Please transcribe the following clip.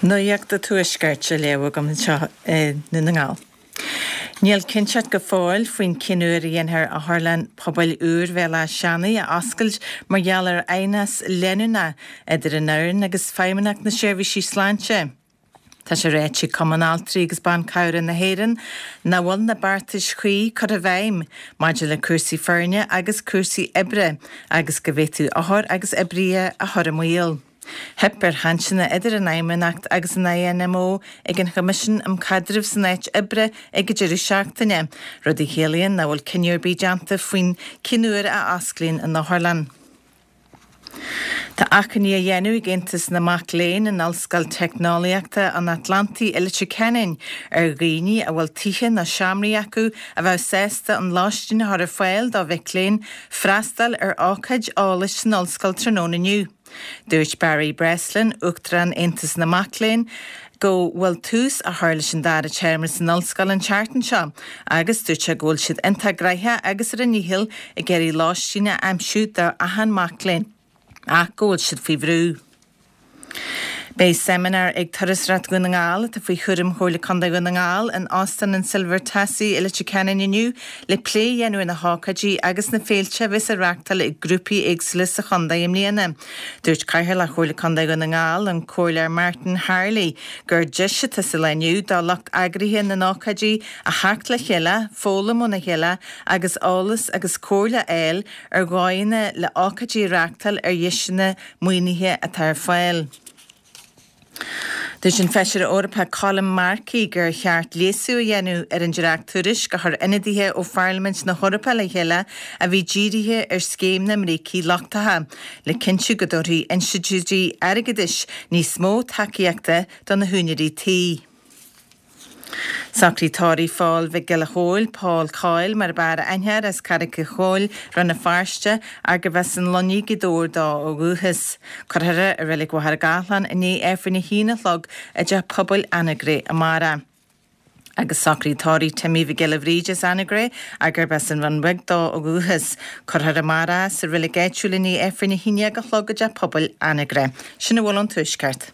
Nuacht an Tuaiscirt á léamh agam anseo i nDún na nGall. Níl cinnteacht go fóill faoin cén uair a dhéanfar Otharlann Pobail úr Bhéal Átha Seanaidh a oscailt mar gheall ar aighneas leanúnach idir an fhoireann agus Feidhmeannacht na Seirbhísí Sláinte. Tá sé ráite ag Cumann Altraí agus Ban Cabhrach na hÉireann nach bhfuil na beartais chuí curtha i bhfeidhm maidir le cúrsaí foirne agus cúrsaí oibre agus go bhféadfadh othair agus oibrithe a chur i mbaol. Theip ar chainteanna idir an Fheidhmeannacht agus an INMO ag an Choimisiún um Chaidreamh san Áit Oibre ag an deireadh seachtaine, rud a chiallaíonn nach bhfuil cinneadh ar bith déanta faoin cén uair a osclaíonn an otharlann. Tá achainí á dhéanamh ag Aontas na Mac Léinn in Ollscoil Teicneolaíochta an Atlantaigh i Leitir Ceanainn ar dhaoine a bhfuil tithe nó seomraí acu a bheadh sásta an lóistín a chur ar fáil do mhic léinn freastal ar ócáid eolais san ollscoil tráthnóna inniu. Dúirt Barry Breslin, Uachtarán Aontas na Mac Léinn, go bhfuil tús á chur leis an dara téarma san ollscoil an tseachtain seo agus dúirt sé go bhfuil siad iontach gnoitheach agus ar a ndícheall ag iarraidh lóistín a aimsiú do achan mac léinn ach go bhfuil siad faoi bhrú. Beidh seimineár ag Turasóireacht Dhún na nGall, atá faoi chúram Chomhairle Contae Dhún na nGall, in Óstán an Silver Tassie i Leitir Ceanainn inniu le plé a dhéanamh ar na hócáidí agus na féilte a bheas á reáchtáil ag grúpaí éagsúla sa chontae i mbliana. Dúirt Cathaoirleach Chomhairle Contae Dhún na nGall, an Comhairleoir Martin Harley, gur deis atá sa lá inniu do lucht eagraithe na n-ócáidí a theacht le chéile, foghlaim óna chéile agus eolas agus comhairle a fháil ar dhóigheanna le hócáidí a reáchtáil ar dheiseanna maoinithe atá ar fáil. Dúirt an Feisire Eorpach Colm Markey gur cheart léasú a dhéanamh ar an dréacht-tuairisc a chuir ionadaithe ó Pharlaimint na hEorpa le chéile a bhí dírithe ar scéim na mbrící lochtacha le cinntiú go dtabharfaidh institiúidí airgeadais níos mó tacaíochta do na húinéirí tí. Sochraid tórraimh Phóil Mhic Giolla Chóill, Pól Coyle mar ab fhearr aithne air, as Carraig an Choill, Rann na Feirste, arb as an Luinnigh, Gaoth Dobhair dó ó dhúchas. Cuirfear é i Reilig Mhachaire Gathlán i ndiaidh Aifreann a haon a chlog i dTeach Pobail Anagaire amárach. Agus sochraid tórraimh Timmy Mhic Giolla Bhríde as Anagaire, arb as an Rinn Bheag dó ó dhúchas. Cuirfear amárach é sa reilig áitiúil i ndiaidh Aifreann a haon déag a chlog i dTeach Pobail Anagaire. Sin a bhfuil ón Tuaisceart.